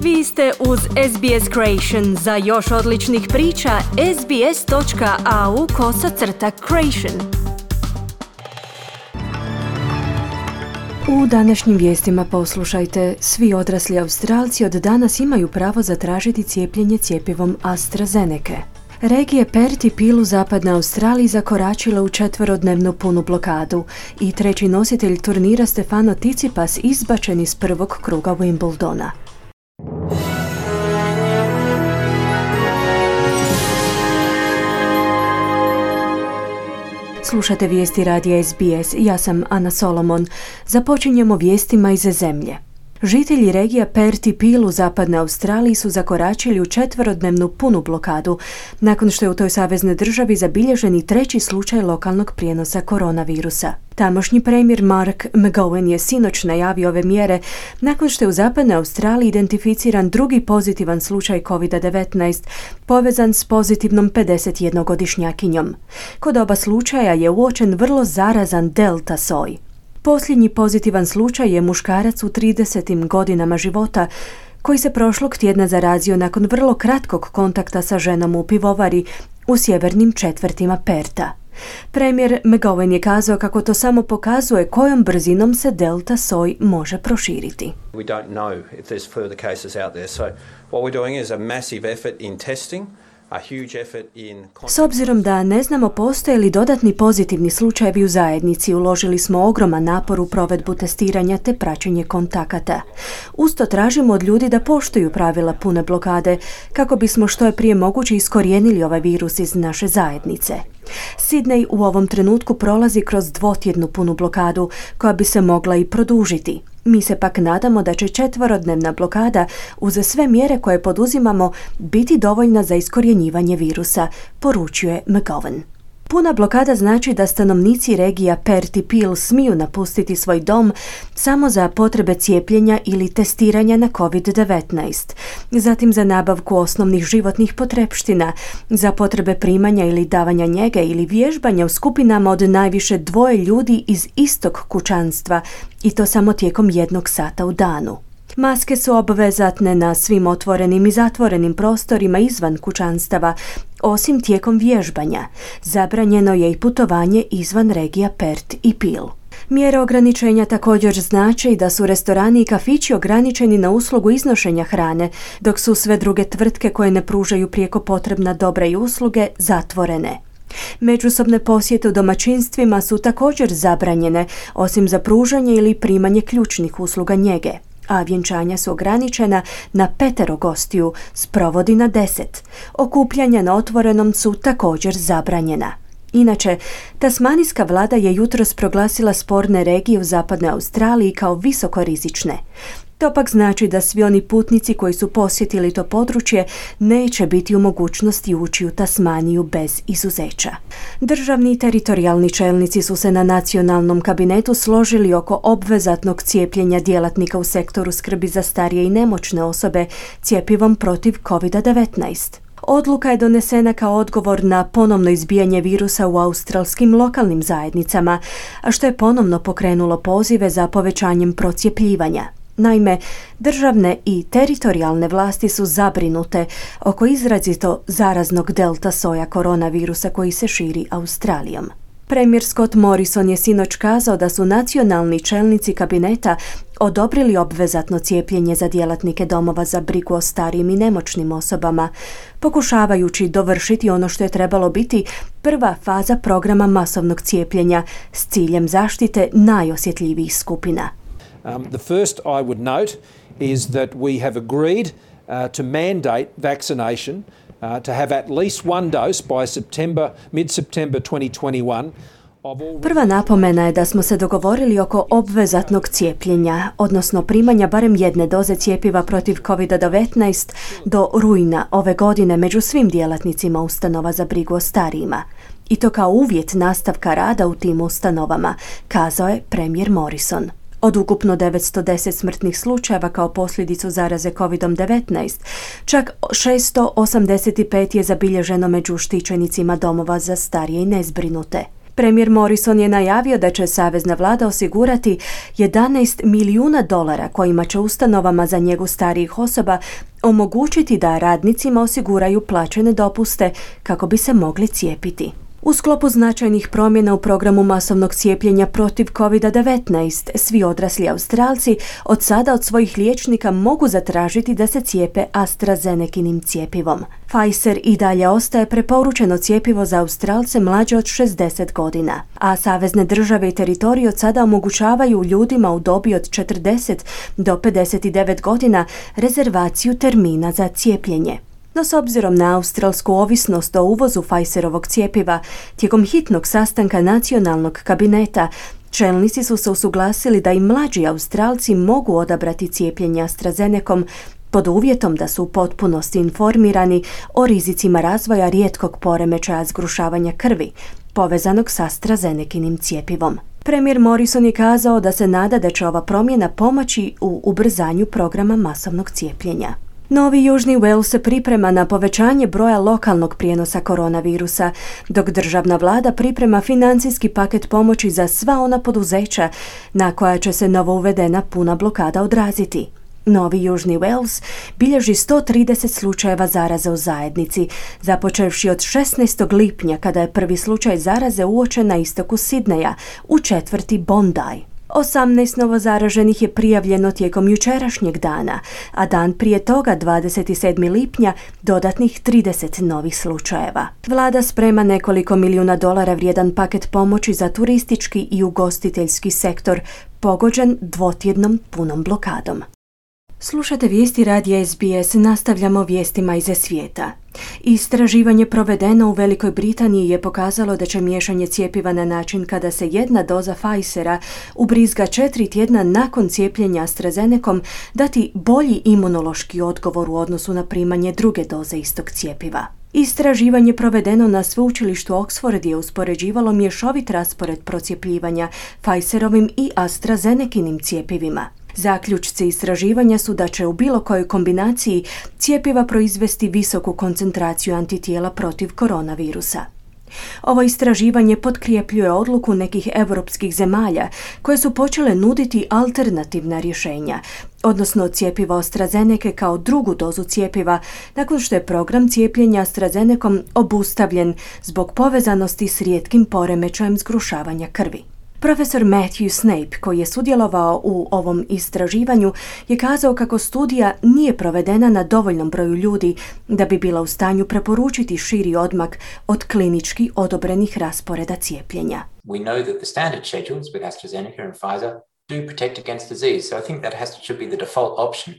Vi ste uz SBS Creation. Za još odličnih priča, sbs.au/creation. U današnjim vijestima poslušajte, svi odrasli Australci od danas imaju pravo zatražiti cijepljenje cjepivom AstraZeneca. Regije Perth i Peel u zapadnoj Australiji zakoračila u 4-dnevnu punu blokadu i treći nositelj turnira Stefano Tsitsipas izbačen iz prvog kruga Wimbledona. Slušate vijesti radija SBS, ja sam Ana Solomon. Započinjemo vijestima iz zemlje. Žitelji regija Perth i Peel u zapadnoj Australiji su zakoračili u 4-dnevnu punu blokadu nakon što je u toj saveznoj državi zabilježeni treći slučaj lokalnog prijenosa koronavirusa. Tamošnji premijer Mark McGowan je sinoć najavio ove mjere nakon što je u zapadnoj Australiji identificiran drugi pozitivan slučaj COVID-19 povezan s pozitivnom 51-godišnjakinjom. Kod oba slučaja je uočen vrlo zarazan delta soj. Posljednji pozitivan slučaj je muškarac u 30. godinama života koji se prošlog tjedna zarazio nakon vrlo kratkog kontakta sa ženom u pivovari u sjevernim četvrtima Perta. Premijer McGowan je kazao kako to samo pokazuje kojom brzinom se delta soj može proširiti. We don't know if there's further cases out there. So what we're doing is a massive effort in testing. S obzirom da ne znamo postoje li dodatni pozitivni slučajevi u zajednici, uložili smo ogroman napor u provedbu testiranja te praćenje kontakata. Usto tražimo od ljudi da poštuju pravila pune blokade kako bismo što je prije moguće iskorijenili ovaj virus iz naše zajednice. Sydney u ovom trenutku prolazi kroz 2-tjednu punu blokadu koja bi se mogla i produžiti. Mi se pak nadamo da će 4-dnevna blokada uz sve mjere koje poduzimamo biti dovoljna za iskorjenjivanje virusa, poručuje McGowan. Puna blokada znači da stanovnici regija Perth i Peel smiju napustiti svoj dom samo za potrebe cijepljenja ili testiranja na COVID-19, zatim za nabavku osnovnih životnih potrepština, za potrebe primanja ili davanja njege ili vježbanja u skupinama od najviše 2 ljudi iz istog kućanstva i to samo tijekom 1 sata u danu. Maske su obvezatne na svim otvorenim i zatvorenim prostorima izvan kućanstava, osim tijekom vježbanja. Zabranjeno je i putovanje izvan regija Perth i Peel. Mjere ograničenja također znače i da su restorani i kafići ograničeni na uslugu iznošenja hrane, dok su sve druge tvrtke koje ne pružaju prijeko potrebna dobra i usluge zatvorene. Međusobne posjete u domaćinstvima su također zabranjene, osim za pružanje ili primanje ključnih usluga njege, a vjenčanja su ograničena na 5 gostiju, sprovodi na 10. Okupljanja na otvorenom su također zabranjena. Inače, tasmanijska vlada je jutros proglasila sporne regije u zapadnoj Australiji kao visokorizične. To pak znači da svi oni putnici koji su posjetili to područje neće biti u mogućnosti ući u Tasmaniju bez izuzeća. Državni i teritorijalni čelnici su se na nacionalnom kabinetu složili oko obvezatnog cijepljenja djelatnika u sektoru skrbi za starije i nemoćne osobe cjepivom protiv COVID-19. Odluka je donesena kao odgovor na ponovno izbijanje virusa u australskim lokalnim zajednicama, a što je ponovno pokrenulo pozive za povećanjem procjepljivanja. Naime, državne i teritorijalne vlasti su zabrinute oko izrazito zaraznog delta soja koronavirusa koji se širi Australijom. Premijer Scott Morrison je sinoć kazao da su nacionalni čelnici kabineta odobrili obvezatno cijepljenje za djelatnike domova za brigu o starijim i nemoćnim osobama, pokušavajući dovršiti ono što je trebalo biti prva faza programa masovnog cijepljenja s ciljem zaštite najosjetljivijih skupina. The first I would note is that we have agreed to mandate vaccination to have at least one dose by mid-September 2021. Prva napomena je da smo se dogovorili oko obvezatnog cijepljenja, odnosno primanja barem 1 doze cjepiva protiv COVID-19 do rujna ove godine među svim djelatnicima ustanova za brigu o starijima. I to kao uvjet nastavka rada u tim ustanovama, kazao je premijer Morrison. Od ukupno 910 smrtnih slučajeva kao posljedicu zaraze COVID-19, čak 685 je zabilježeno među štićenicima domova za starije i nezbrinute. Premijer Morrison je najavio da će savezna vlada osigurati $11 milijuna kojima će ustanovama za njegu starijih osoba omogućiti da radnicima osiguraju plaćene dopuste kako bi se mogli cijepiti. U sklopu značajnih promjena u programu masovnog cijepljenja protiv COVID-19, svi odrasli Australci od sada od svojih liječnika mogu zatražiti da se cijepe AstraZenekinim cjepivom. Pfizer i dalje ostaje preporučeno cjepivo za Australce mlađe od 60 godina, a savezne države i teritoriji od sada omogućavaju ljudima u dobi od 40 do 59 godina rezervaciju termina za cijepljenje. No s obzirom na australsku ovisnost o uvozu Pfizerovog cjepiva, tijekom hitnog sastanka nacionalnog kabineta, čelnici su se usuglasili da i mlađi Australci mogu odabrati cijepljenje AstraZenecom pod uvjetom da su u potpunosti informirani o rizicima razvoja rijetkog poremećaja zgrušavanja krvi, povezanog s AstraZenekinim cjepivom. Premijer Morrison je kazao da se nada da će ova promjena pomoći u ubrzanju programa masovnog cijepljenja. Novi Južni Wales se priprema na povećanje broja lokalnog prijenosa koronavirusa, dok državna vlada priprema financijski paket pomoći za sva ona poduzeća na koja će se novo uvedena puna blokada odraziti. Novi Južni Wales bilježi 130 slučajeva zaraze u zajednici, započevši od 16. lipnja kada je prvi slučaj zaraze uočen na istoku Sidneja, u četvrti Bondi. 18 novozaraženih je prijavljeno tijekom jučerašnjeg dana, a dan prije toga, 27. lipnja, dodatnih 30 novih slučajeva. Vlada sprema nekoliko milijuna dolara vrijedan paket pomoći za turistički i ugostiteljski sektor, pogođen dvotjednom punom blokadom. Slušate vijesti radija SBS, nastavljamo vijestima iz svijeta. Istraživanje provedeno u Velikoj Britaniji je pokazalo da će miješanje cjepiva na način kada se jedna doza Pfizera ubrizga 4 tjedna nakon cijepljenja AstraZenecom dati bolji imunološki odgovor u odnosu na primanje druge doze istog cjepiva. Istraživanje provedeno na sveučilištu Oxford je uspoređivalo mješovit raspored procjepljivanja Pfizerovim i AstraZenekinim cjepivima. Zaključci istraživanja su da će u bilo kojoj kombinaciji cjepiva proizvesti visoku koncentraciju antitijela protiv koronavirusa. Ovo istraživanje potkrijepljuje odluku nekih europskih zemalja koje su počele nuditi alternativna rješenja, odnosno cjepivo AstraZenece kao drugu dozu cjepiva, nakon što je program cijepljenja AstraZenecom obustavljen zbog povezanosti s rijetkim poremećajem zgrušavanja krvi. Profesor Matthew Snape, koji je sudjelovao u ovom istraživanju, je kazao kako studija nije provedena na dovoljnom broju ljudi da bi bila u stanju preporučiti širi odmak od klinički odobrenih rasporeda cijepljenja. We know that the standard schedules with AstraZeneca and Pfizer do protect against disease, so I think that should be the default option.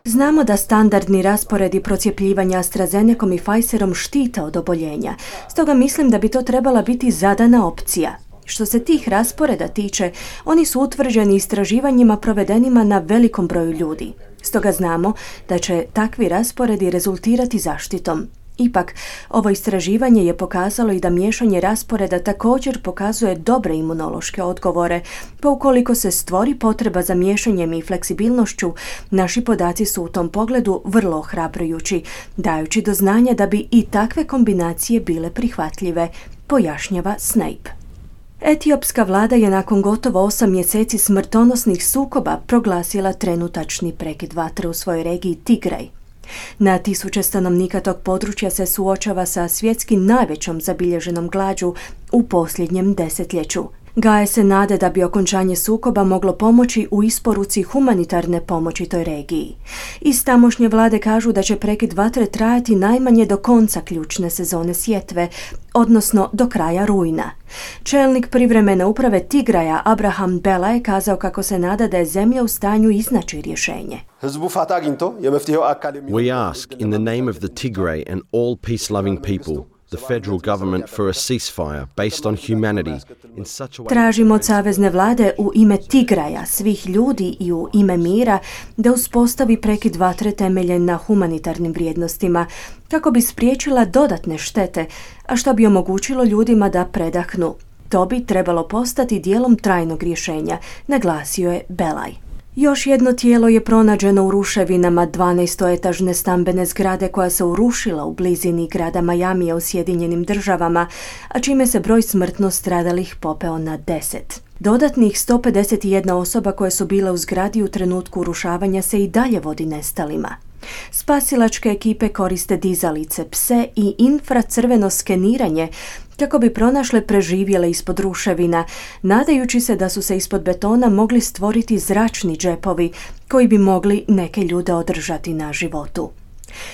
Znamo da standardni rasporedi procjepljivanja AstraZenecom i Pfizerom štite od oboljenja, stoga mislim da bi to trebala biti zadana opcija. Što se tih rasporeda tiče, oni su utvrđeni istraživanjima provedenima na velikom broju ljudi. Stoga znamo da će takvi rasporedi rezultirati zaštitom. Ipak, ovo istraživanje je pokazalo i da miješanje rasporeda također pokazuje dobre imunološke odgovore, pa ukoliko se stvori potreba za miješanjem i fleksibilnošću, naši podaci su u tom pogledu vrlo ohrabrujući, dajući do znanja da bi i takve kombinacije bile prihvatljive, pojašnjava Snape. Etiopska vlada je nakon gotovo 8 mjeseci smrtonosnih sukoba proglasila trenutačni prekid vatre u svojoj regiji Tigraj. Na tisuće stanovnika tog područja se suočava sa svjetski najvećom zabilježenom glađu u posljednjem desetljeću. Gaje se nade da bi okončanje sukoba moglo pomoći u isporuci humanitarne pomoći toj regiji. Iz tamošnje vlade kažu da će prekid vatre trajati najmanje do konca ključne sezone sjetve, odnosno do kraja rujna. Čelnik privremene uprave Tigraja Abraham Bela je kazao kako se nada da je zemlja u stanju iznaći rješenje. We ask in the name of the Tigray and all peace-loving people, the federal government for a ceasefire based on humanity in such a way. Tražimo od savezne vlade u ime Tigraja, svih ljudi i u ime mira da uspostavi prekid vatre temeljen na humanitarnim vrijednostima kako bi spriječila dodatne štete, a što bi omogućilo ljudima da predahnu. To bi trebalo postati dijelom trajnog rješenja, naglasio je Belaj. Još jedno tijelo je pronađeno u ruševinama 12-etažne stambene zgrade koja se urušila u blizini grada Majamija u Sjedinjenim Državama, a čime se broj smrtno stradalih popeo na 10. Dodatnih 151 osoba koje su bile u zgradi u trenutku urušavanja se i dalje vodi nestalima. Spasilačke ekipe koriste dizalice, pse i infracrveno skeniranje kako bi pronašle preživjele ispod ruševina, nadajući se da su se ispod betona mogli stvoriti zračni džepovi koji bi mogli neke ljude održati na životu.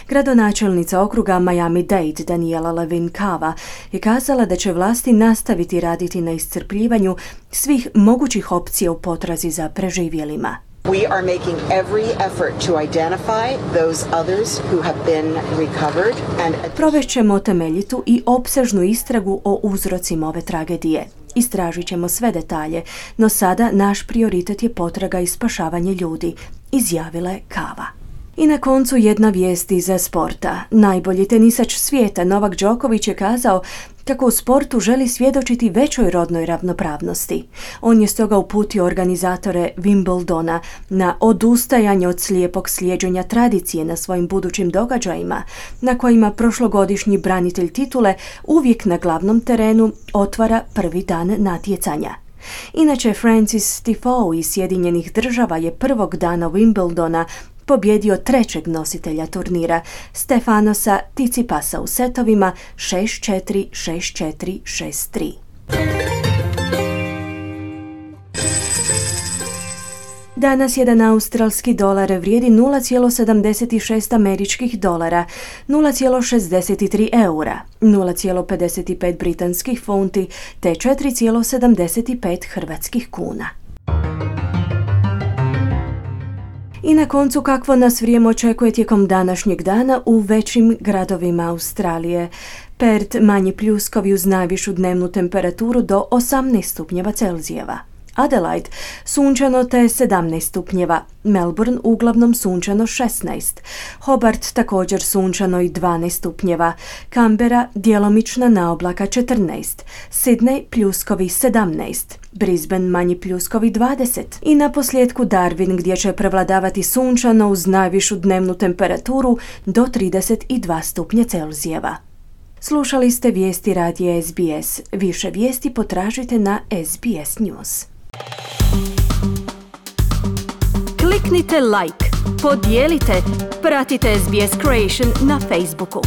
Gradonačelnica okruga Miami-Dade Daniela Levin Cava je kazala da će vlasti nastaviti raditi na iscrpljivanju svih mogućih opcija u potrazi za preživjelima. We are making every effort to identify those others who have been recovered and Provešćemo temeljitu i opsežnu istragu o uzrocima ove tragedije. Istražit ćemo sve detalje, no sada naš prioritet je potraga i spašavanje ljudi, izjavila je Cava. I na koncu jedna vijest iz sporta. Najbolji tenisač svijeta Novak Đoković je kazao kako u sportu želi svjedočiti većoj rodnoj ravnopravnosti. On je stoga uputio organizatore Wimbledona na odustajanje od slijepog slijeđenja tradicije na svojim budućim događajima, na kojima prošlogodišnji branitelj titule uvijek na glavnom terenu otvara prvi dan natjecanja. Inače, Francis Tiafoe iz Sjedinjenih Država je prvog dana Wimbledona pobjedio trećeg nositelja turnira, Stefanosa Tsitsipasa u setovima 6-4, 6-4, 6-3. Danas jedan australski dolar vrijedi 0,76 američkih dolara, 0,63 eura, 0,55 britanskih funti te 4,75 hrvatskih kuna. I na koncu kakvo nas vrijeme očekuje tijekom današnjeg dana u većim gradovima Australije. Perth manji pljuskovi uz najvišu dnevnu temperaturu do 18 stupnjeva Celzijeva. Adelaide sunčano te 17 stupnjeva, Melbourne uglavnom sunčano 16, Hobart također sunčano i 12 stupnjeva, Canberra djelomična naoblaka 14, Sydney pljuskovi 17, Brisbane manji pljuskovi 20 i na posljedku Darwin gdje će prevladavati sunčano uz najvišu dnevnu temperaturu do 32 stupnja Celzijeva. Slušali ste vijesti radija SBS. Više vijesti potražite na SBS News. Kliknite like, podijelite, pratite SBS Creation na Facebooku.